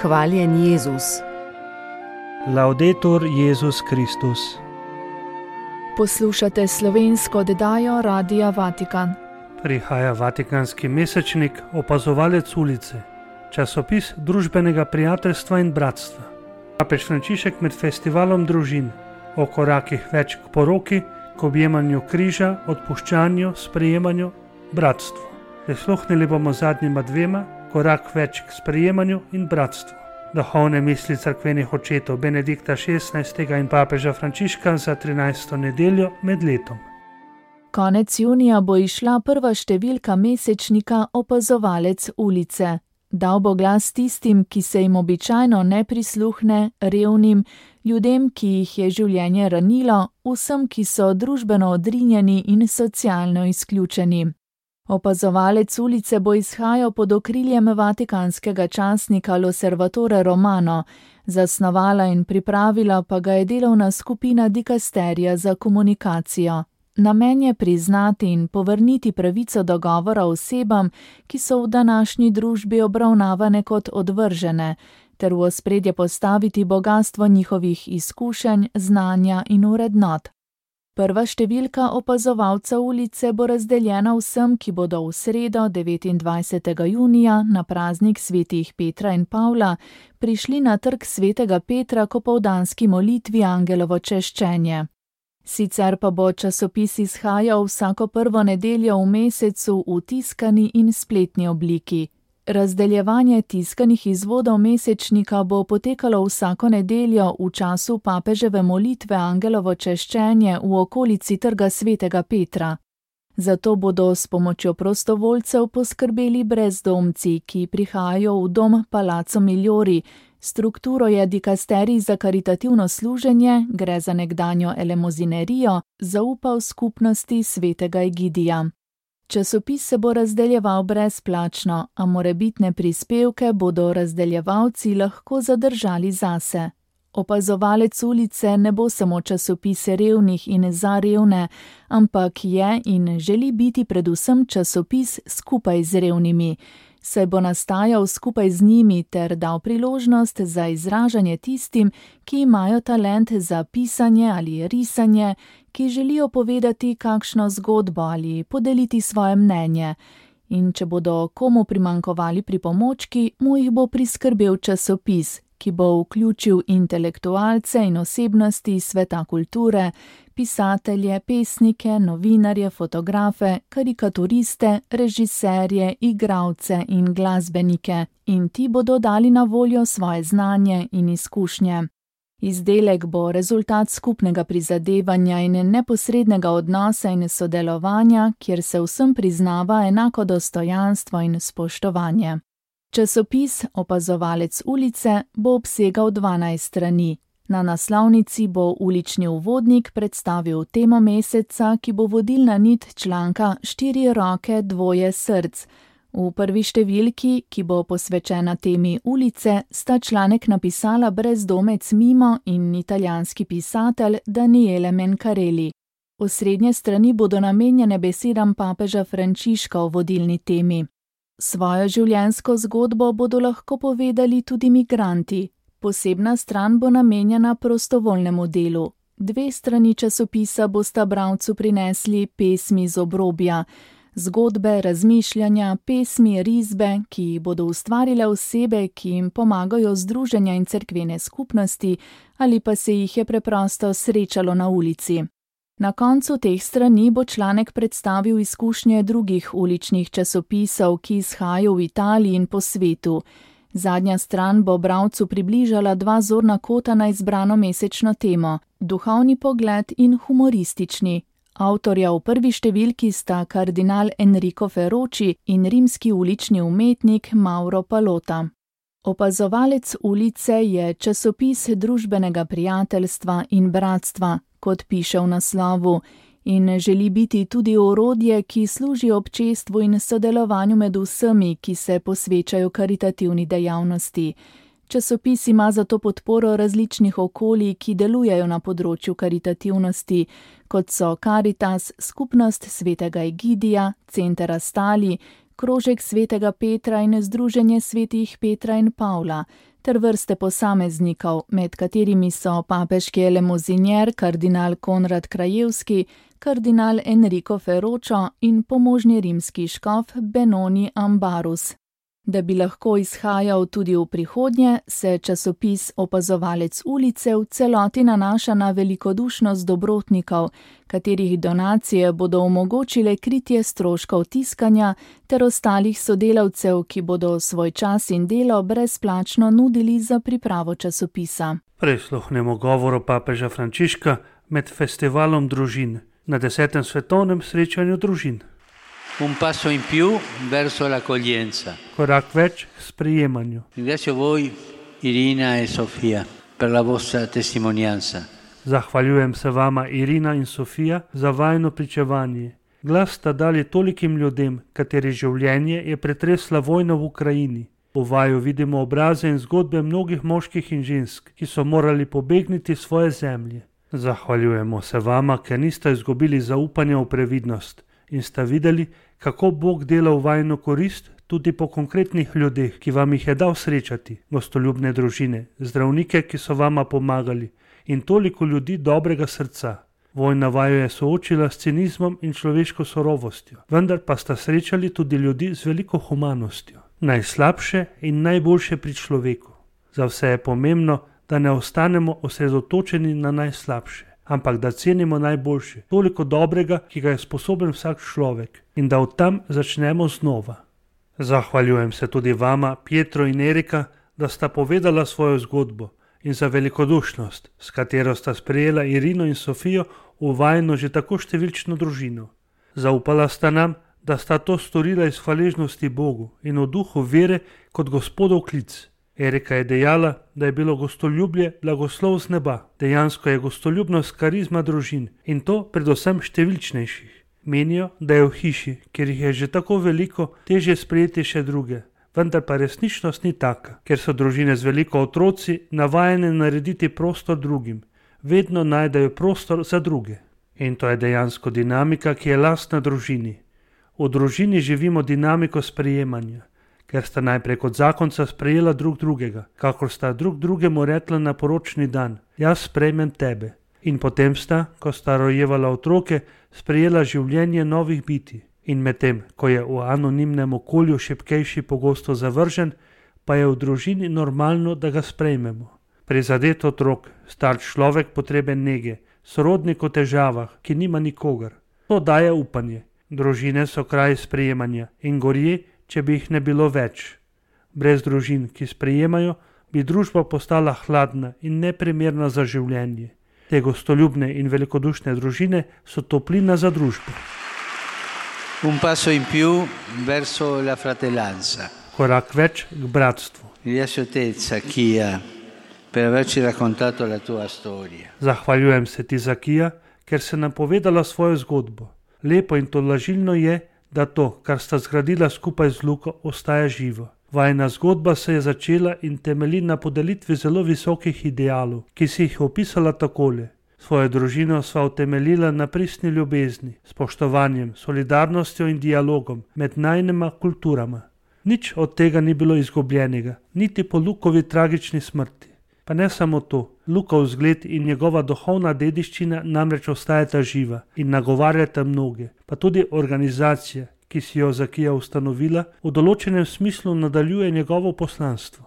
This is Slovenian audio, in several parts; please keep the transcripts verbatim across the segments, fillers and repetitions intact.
Hvaljen Jezus. Laudetur Jezus Kristus. Poslušate slovensko oddajo Radia Vatikan. Prihaja vatikanski mesečnik Opazovalec ulice, časopis družbenega prijateljstva in bratstva. Papež Frančišek med festivalom družin o korakih več k poroki, k objemanju križa, odpuščanju, sprejemanju, bratstvu. Prisluhnili bomo zadnjima dvema, korak več k sprejemanju in bratstvu. Duhovne misli cerkvenih očetov Benedikta šestnajstega in papeža Frančiška za trinajsto nedeljo med letom. Konec junija bo išla prva številka mesečnika Opazovalec ulice. Dal bo glas tistim, ki se jim običajno ne prisluhne, revnim, ljudem, ki jih je življenje ranilo, vsem, ki so družbeno odrinjeni in socialno izključeni. Opazovalec ulice bo izhajal pod okriljem vatikanskega časnika L'Osservatore Romano, zasnovala in pripravila pa ga je delovna skupina Dikasterija za komunikacijo. Namen je priznati in povrniti pravico do govora osebam, ki so v današnji družbi obravnavane kot odvržene, ter v ospredje postaviti bogastvo njihovih izkušenj, znanja in vrednot. Prva številka Opazovalca ulice bo razdeljena vsem, ki bodo v sredo devetindvajsetega junija na praznik svetih Petra in Pavla prišli na trg svetega Petra k opoldanski molitvi Angelovo češčenje. Sicer pa bo časopis izhajal vsako prvo nedeljo v mesecu v tiskani in spletni obliki. Razdeljevanje tiskanih izvodov mesečnika bo potekalo vsako nedeljo v času papeževe molitve Angelovo češčenje v okolici trga svetega Petra. Zato bodo s pomočjo prostovoljcev poskrbeli brezdomci, ki prihajajo v dom Palazzo Migliori. Strukturo je Dikasterij za karitativno služenje, gre za nekdanjo elemozinerijo, zaupal skupnosti svetega Egidija. Časopis se bo razdeljeval brezplačno, a morebitne prispevke bodo razdeljevalci lahko zadržali zase. Opazovalec ulice ne bo samo časopis revnih in za revne, ampak je in želi biti predvsem časopis skupaj z revnimi, saj bo nastajal skupaj z njimi ter dal priložnost za izražanje tistim, ki imajo talent za pisanje ali risanje, ki želijo povedati kakšno zgodbo ali podeliti svoje mnenje. In če bodo komu primanjkovali pripomočki, mu jih bo priskrbel časopis, ki bo vključil intelektualce in osebnosti sveta kulture, pisatelje, pesnike, novinarje, fotografe, karikaturiste, režiserje, igralce in glasbenike, in ti bodo dali na voljo svoje znanje in izkušnje. Izdelek bo rezultat skupnega prizadevanja in neposrednega odnosa in sodelovanja, kjer se vsem priznava enako dostojanstvo in spoštovanje. Časopis Opazovalec ulice bo obsegal dvanajst strani. Na naslovnici bo ulični uvodnik predstavil temo meseca, ki bo vodilna nit članka Štiri roke, dvoje src. V prvi številki, ki bo posvečena temi ulice, sta članek napisala brezdomec Mimo in italijanski pisatelj Daniele Mencarelli. Osrednje strani bodo namenjene besedam papeža Frančiška o vodilni temi. Svojo življenjsko zgodbo bodo lahko povedali tudi migranti. Posebna stran bo namenjena prostovoljnemu delu. Dve strani časopisa bosta bralcu prinesli pesmi z obrobja, zgodbe, razmišljanja, pesmi, risbe, ki bodo ustvarile osebe, ki jim pomagajo združenja in cerkvene skupnosti, ali pa se jih je preprosto srečalo na ulici. Na koncu teh strani bo članek predstavil izkušnje drugih uličnih časopisov, ki izhajajo v Italiji in po svetu. Zadnja stran bo bralcu približala dva zorna kota na izbrano mesečno temo, duhovni pogled in humoristični. Avtorja v prvi številki sta kardinal Enrico Ferroci in rimski ulični umetnik Mauro Palota. Opazovalec ulice je časopis družbenega prijateljstva in bratstva, kot piše v naslovu, in želi biti tudi orodje, ki služi občestvu in sodelovanju med vsemi, ki se posvečajo karitativni dejavnosti. Časopis ima zato podporo različnih okolij, ki delujejo na področju karitativnosti, kot so Caritas, Skupnost svetega Egidija, Center Astali, Krožek svetega Petra in Združenje svetih Petra in Pavla, ter vrste posameznikov, med katerimi so papeški elemozinjer kardinal Konrad Krajewski, kardinal Enrico Ferročo in pomožni rimski škof Benoni Ambarus. Da bi lahko izhajal tudi v prihodnje, se časopis Opazovalec ulice v celoti nanaša na velikodušnost dobrotnikov, katerih donacije bodo omogočile kritje stroškov tiskanja ter ostalih sodelavcev, ki bodo svoj čas in delo brezplačno nudili za pripravo časopisa. Prisluhnemo govoru papeža Frančiška med festivalom družin na desetem svetovnem srečanju družin. Un passo in più verso l'accoglienza. Korak več k sprejemanju. Ringrazio voi, Irina e Sofia, per la vostra testimonianza. Zahvaljujem se vama, Irina in Sofija, za vajno pričevanje. Glas sta dali tolikim ljudem, kateri življenje je pretresla vojna v Ukrajini. V vaju vidimo obraze in zgodbe mnogih moških in žensk, ki so morali pobegniti svoje zemlje. Zahvaljujemo se vama, ker niste izgubili zaupanja v previdnost in sta videli, kako Bog dela v vajno korist tudi po konkretnih ljudeh, ki vam jih je dal srečati, gostoljubne družine, zdravnike, ki so vama pomagali in toliko ljudi dobrega srca. Vojna vaju je soočila s cinizmom in človeško sorovostjo, vendar pa sta srečali tudi ljudi z veliko humanostjo. Najslabše in najboljše pri človeku. Za vse je pomembno, da ne ostanemo osredotočeni na najslabše, ampak da cenimo najboljše, toliko dobrega, ki ga je sposoben vsak človek, in da od tam začnemo znova. Zahvaljujem se tudi vama, Pietro in Erika, da sta povedala svojo zgodbo in za velikodušnost, s katero sta sprejela Irino in Sofijo v vajno že tako številčno družino. Zaupala sta nam, da sta to storila iz hvaležnosti Bogu in v duhu vere kot Gospodov klic. Erika je dejala, da je bilo gostoljubje blagoslov z neba. Dejansko je gostoljubnost karizma družin in to predvsem številčnejših. Menijo, da je v hiši, ker jih je že tako veliko, težje sprejeti še druge. Vendar pa resničnost ni taka, ker so družine z veliko otroci navajene narediti prostor drugim. Vedno najdejo prostor za druge. In to je dejansko dinamika, ki je lastna družini. V družini živimo dinamiko sprejemanja, ker sta najprej kot zakonca sprejela drug drugega, kakor sta drug drugemu rekla na poročni dan, jaz sprejmem tebe. In potem sta, ko sta rojevala otroke, sprejela življenje novih biti. In medtem, ko je v anonimnem okolju šibkejši pogosto zavržen, pa je v družini normalno, da ga sprejmemo. Prizadet otrok, star človek potreben nege, sorodnik v težavah, ki nima nikogar. To daje upanje. Družine so kraj sprejemanja in gorje, če bi jih ne bilo več. Brez družin, ki sprejemajo, bi družba postala hladna in neprimerna za življenje. Te gostoljubne in velikodušne družine so toplina za družbo. Un passo in più verso la fratellanza. Korak več k bratstvu. Ringrazio te, Zacchia, per averci raccontato la tua storia. Zahvaljujem se ti, Zakija, ker si nam povedala svojo zgodbo. Lepo in tolažilno je, da to, kar sta zgradila skupaj z Luko, ostaja živo. Vajna zgodba se je začela in temelji na podelitvi zelo visokih idealov, ki si jih opisala takole. Svojo družino sva utemeljila na pristni ljubezni, spoštovanjem, solidarnostjo in dialogom med najnima kulturama. Nič od tega ni bilo izgubljenega, niti po Lukovi tragični smrti. Pa ne samo to, Lukov zgled in njegova duhovna dediščina namreč ostajata živa in nagovarjata mnoge, pa tudi organizacija, ki si jo Zakija ustanovila, v določenem smislu nadaljuje njegovo poslanstvo.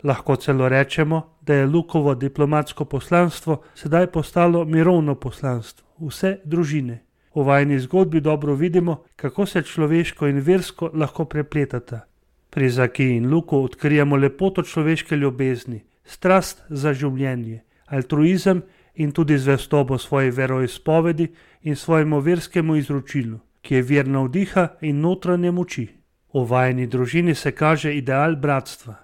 Lahko celo rečemo, da je Lukovo diplomatsko poslanstvo sedaj postalo mirovno poslanstvo, vse družine. V vajni zgodbi dobro vidimo, kako se človeško in versko lahko prepletata. Pri Zakiji in Luku odkrijemo lepoto človeške ljubezni, strast za življenje, altruizem in tudi zvestobo svoji veroizpovedi in svojemu verskemu izročilu, ki je vir navdiha in notranje moči. V vajni družini se kaže ideal bratstva.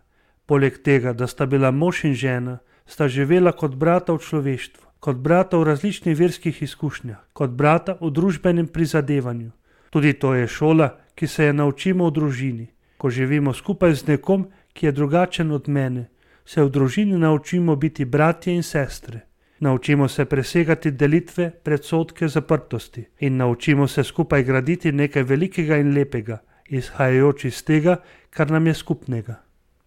Poleg tega, da sta bila mož in žena, sta živela kot brata v človeštvu, kot brata v različnih verskih izkušnjah, kot brata v družbenem prizadevanju. Tudi to je šola, ki se je naučimo v družini. Ko živimo skupaj z nekom, ki je drugačen od mene, se v družini naučimo biti bratje in sestre. Naučimo se presegati delitve, predsodke, zaprtosti in naučimo se skupaj graditi nekaj velikega in lepega, izhajajoč iz tega, kar nam je skupnega.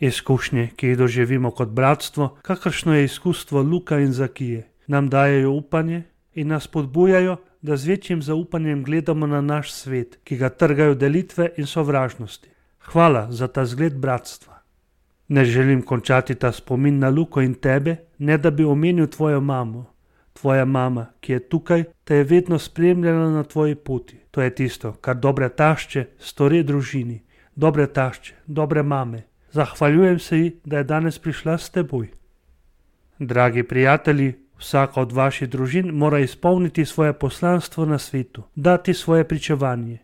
Izkušnje, ki jih doživimo kot bratstvo, kakršno je izkustvo Luka in Zakije, nam dajejo upanje in nas podbujajo, da z večjim zaupanjem gledamo na naš svet, ki ga trgajo delitve in sovražnosti. Hvala za ta zgled bratstva. Ne želim končati ta spomin na Luko in tebe, ne da bi omenil tvojo mamo. Tvoja mama, ki je tukaj, te je vedno spremljala na tvoji poti. To je tisto, kar dobre tašče stori družini. Dobre tašče, dobre mame. Zahvaljujem se ji, da je danes prišla s teboj. Dragi prijatelji, vsaka od vaših družin mora izpolniti svoje poslanstvo na svetu, dati svoje pričevanje.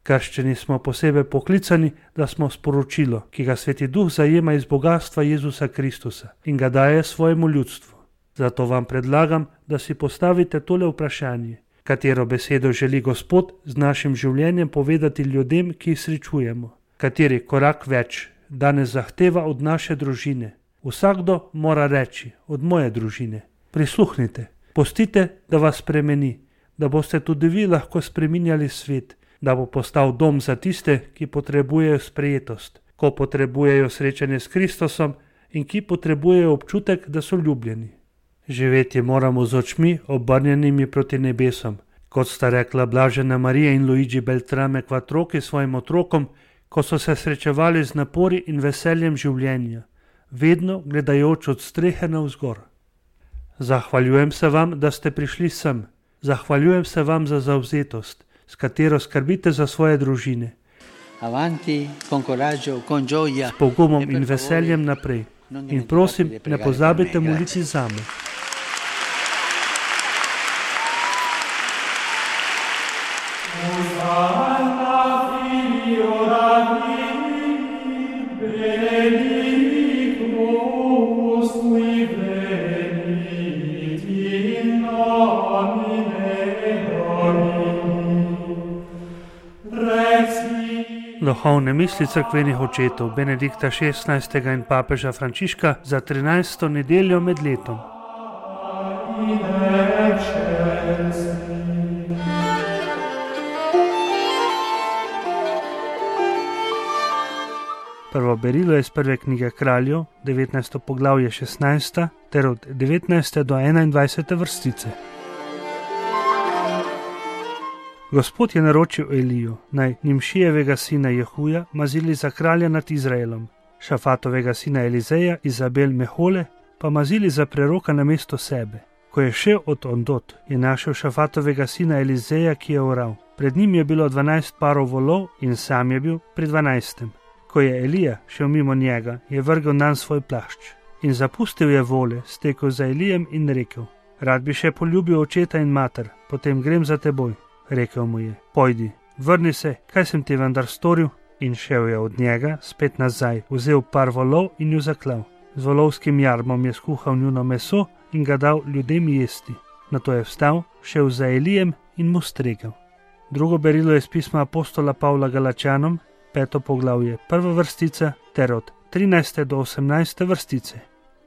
Krščeni smo posebej poklicani, da smo sporočilo, ki ga Sveti Duh zajema iz bogatstva Jezusa Kristusa in ga daje svojemu ljudstvu. Zato vam predlagam, da si postavite tole vprašanje. Katero besedo želi Gospod z našim življenjem povedati ljudem, ki jih srečujemo? Kateri korak več danes zahteva od naše družine? Vsakdo mora reči, od moje družine. Prisluhnite, pustite, da vas spremeni, da boste tudi vi lahko spreminjali svet, da bo postal dom za tiste, ki potrebujejo sprejetost, ko potrebujejo srečanje s Kristusom in ki potrebujejo občutek, da so ljubljeni. Živeti moramo z očmi obrnjenimi proti nebesom, kot sta rekla Blažena Marija in Luigi Beltrame Quattrochi svojim otrokom, ko so se srečevali z napori in veseljem življenja, vedno gledajoč od strehe navzgor. Zahvaljujem se vam, da ste prišli sem. Zahvaljujem se vam za zavzetost, s katero skrbite za svoje družine. Avanti, con coraggio, con gioia. S pogumom in veseljem naprej. In prosim, ne pozabite moliti zame. Duhovne misli cerkvenih očetov Benedikta šestnajstega in papeža Frančiška za trinajsto nedeljo med letom. Prvo berilo je iz prve knjige Kraljev, devetnajsto poglavje šestnajsta ter od devetnajste do enaindvajsete vrstice. Gospod je naročil Eliju, naj Nimšijevega sina Jehuja mazili za kralja nad Izraelom, Šafatovega sina Elizeja, Izabel Mehole, pa mazili za preroka na mesto sebe. Ko je šel od ondot, je našel Šafatovega sina Elizeja, ki je oral. Pred njim je bilo dvanajst parov volov in sam je bil pri dvanajstem. Ko je Elija šel mimo njega, je vrgel nanj svoj plašč in zapustil je vole, stekel za Elijem in rekel: Rad bi še poljubil očeta in mater, potem grem za teboj. Rekel mu je: Pojdi, vrni se, kaj sem ti vendar storil? In šel je od njega spet nazaj, vzel par volov in ju zaklal. Z volovskim jarmom je skuhal njuno meso in ga dal ljudem jesti. Nato je vstal, šel za Elijem in mu stregel. Drugo berilo je iz pisma apostola Pavla Galačanom, peto poglavje, prva vrstica ter od trinajste do osemnajste vrstice.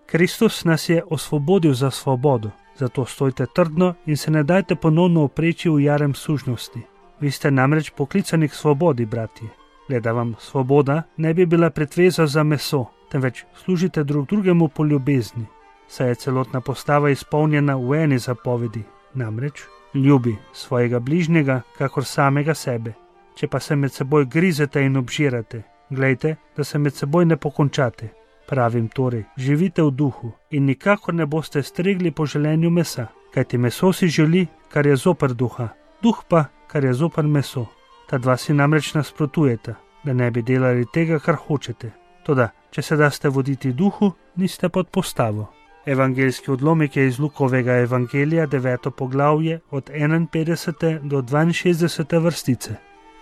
Kristus nas je osvobodil za svobodo, zato stojte trdno in se ne dajte ponovno opreči v jarem sužnosti. Vi ste namreč poklicani k svobodi, bratje. Le da vam svoboda ne bi bila pretveza za meso, temveč služite drug drugemu po ljubezni. Saj je celotna postava izpolnjena v eni zapovedi, namreč ljubi svojega bližnjega kakor samega sebe. Če pa se med seboj grizete in obžirate, glejte, da se med seboj ne pokončate. Pravim torej, živite v duhu in nikakor ne boste stregli po želenju mesa, kajti meso si želi, kar je zoper duha, duh pa, kar je zoper meso. Ta dva si namreč nasprotujeta, da ne bi delali tega, kar hočete. Toda, če se daste voditi duhu, niste pod postavo. Evangeljski odlomek je iz Lukovega evangelija, deveto poglavje, od enainpetdesete do dvainšestdesete vrstice.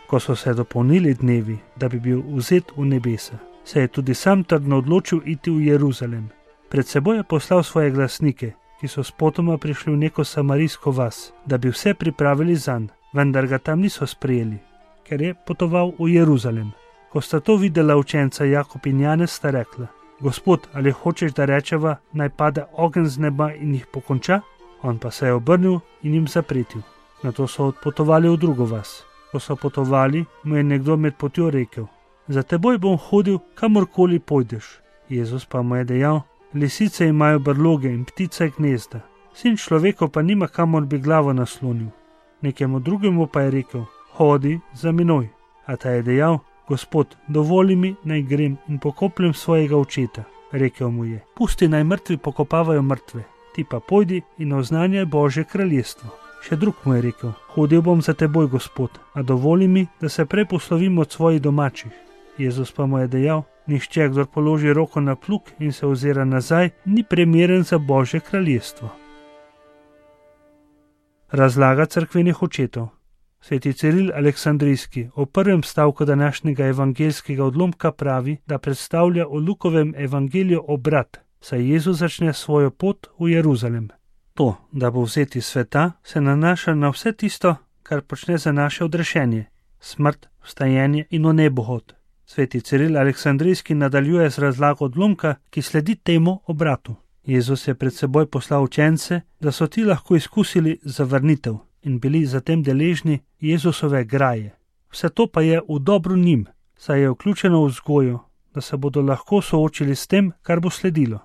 Ko so se dopolnili dnevi, da bi bil vzet v nebesa, se je tudi sam trdno odločil iti v Jeruzalem. Pred seboj je poslal svoje glasnike, ki so spotoma prišli v neko samarijsko vas, da bi vse pripravili zanj, vendar ga tam niso sprejeli, ker je potoval v Jeruzalem. Ko sta to videla učenca Jakob in Janez, sta rekla: Gospod, ali hočeš, da rečeva, naj pade ogenj z neba in jih pokonča? On pa se je obrnil in jim zapretil. Nato so odpotovali v drugo vas. Ko so potovali, mu je nekdo med potjo rekel: za teboj bom hodil, kamorkoli pojdeš. Jezus pa mu je dejal: lisice imajo brloge in ptice gnezda, sin človekov pa nima, kamor bi glavo naslonil. Nekemu drugemu pa je rekel: hodi za menoj. A ta je dejal: Gospod, dovoli mi, naj grem in pokopljem svojega očeta. Rekel mu je: pusti, naj mrtvi pokopavajo mrtve, ti pa pojdi in oznanjaj Božje kraljestvo. Še drug mu je rekel: hodil bom za teboj, Gospod, a dovoli mi, da se prej poslovim od svojih domačih. Jezus pa mu je dejal: nihče, kdor položi roko na plug in se ozira nazaj, ni primeren za Božje kraljestvo. Razlaga cerkvenih očetov. Sveti Ciril Aleksandrijski o prvem stavku današnjega evangeljskega odlomka pravi, da predstavlja o Lukovem evangeliju obrat, saj Jezus začne svojo pot v Jeruzalem. To, da bo vzeti sveta, se nanaša na vse tisto, kar počne za naše odrešenje, smrt, vstajenje in v nebohod. Sveti Ciril Aleksandrijski nadaljuje z razlago odlomka, ki sledi temu obratu. Jezus je pred seboj poslal učence, da so ti lahko izkusili zavrnitev in bili zatem deležni Jezusove graje. Vse to pa je v dobro njim, saj je vključeno v vzgojo, da se bodo lahko soočili s tem, kar bo sledilo.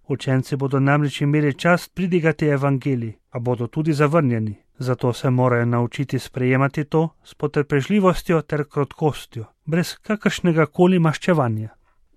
Učenci bodo namreč imeli čast pridigati evangelij, a bodo tudi zavrnjeni. Zato se morajo naučiti sprejemati to s potrpežljivostjo ter krotkostjo, brez kakršnega koli maščevanja.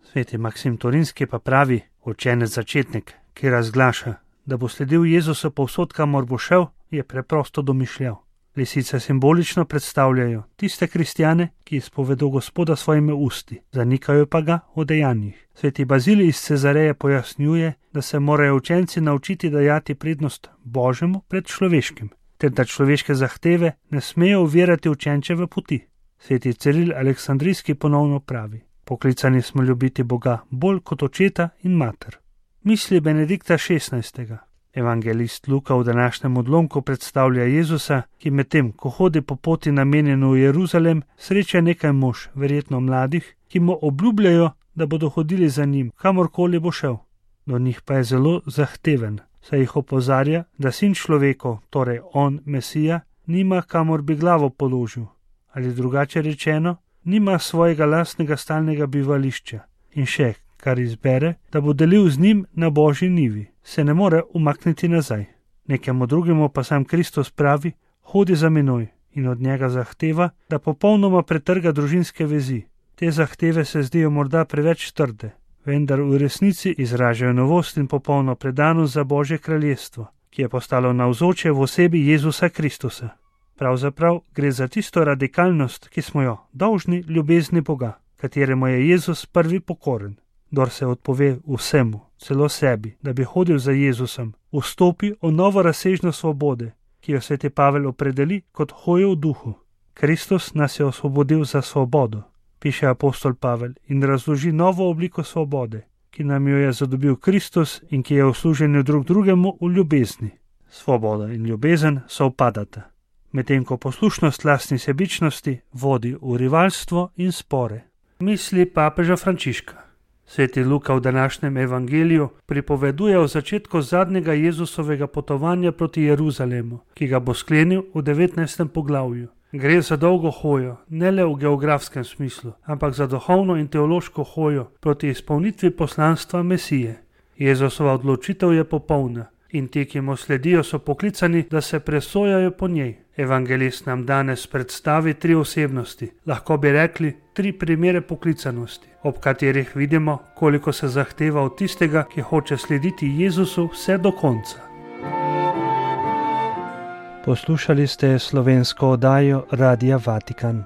Sveti Maksim Torinski pa pravi: učenec začetnik, ki razglaša, da bo sledil Jezusu povsod, kamor bo šel, je preprosto domišljal. Lisice simbolično predstavljajo tiste kristjane, ki izpovedo Gospoda svojimi usti, zanikajo pa ga v dejanjih. Sveti Bazilij iz Cezareje pojasnjuje, da se morajo učenci naučiti dajati prednost Božjemu pred človeškim, ter da človeške zahteve ne smejo ovirati učenčeve poti. Sveti Ciril Aleksandrijski ponovno pravi: poklicani smo ljubiti Boga bolj kot očeta in mater. Misli Benedikta šestnajstega. Evangelist Luka v današnjem odlomku predstavlja Jezusa, ki medtem, ko hodi po poti namenjeno v Jeruzalem, sreča nekaj mož, verjetno mladih, ki mu obljubljajo, da bodo hodili za njim, kamorkoli bo šel. Do njih pa je zelo zahteven, saj jih opozarja, da sin človekov, torej on, Mesija, nima, kamor bi glavo položil, ali drugače rečeno, nima svojega lastnega stalnega bivališča. In še, kar izbere, da bo delil z njim na Božji nivi, se ne more umakniti nazaj. Nekemu drugemu pa sam Kristus pravi: hodi za menoj, in od njega zahteva, da popolnoma pretrga družinske vezi. Te zahteve se zdijo morda preveč trde, vendar v resnici izražajo novost in popolno predanost za Božje kraljestvo, ki je postalo navzoče v osebi Jezusa Kristusa. Pravzaprav gre za tisto radikalnost, ki smo jo dolžni ljubezni Boga, kateremu je Jezus prvi pokoren. Kdor se odpove vsemu, celo sebi, da bi hodil za Jezusom, vstopi v novo razsežnost svobode, ki jo sveti Pavel opredeli kot hojo v duhu. Kristus nas je osvobodil za svobodo, piše apostol Pavel, in razloži novo obliko svobode, ki nam jo je zadobil Kristus in ki je v služenju drug drugemu v ljubezni. Svoboda in ljubezen sovpadata, medtem ko poslušnost lastni sebičnosti vodi v rivalstvo in spore. Misli papeža Frančiška. Sveti Luka v današnjem evangeliju pripoveduje o začetku zadnjega Jezusovega potovanja proti Jeruzalemu, ki ga bo sklenil v devetnajstem poglavju. Gre za dolgo hojo, ne le v geografskem smislu, ampak za duhovno in teološko hojo proti izpolnitvi poslanstva Mesije. Jezusova odločitev je popolna in ti, ki mu sledijo, so poklicani, da se presojajo po njej. Evangelist nam danes predstavi tri osebnosti, lahko bi rekli tri primere poklicanosti, ob katerih vidimo, koliko se zahteva od tistega, ki hoče slediti Jezusu vse do konca. Poslušali ste slovensko oddajo Radia Vatikan.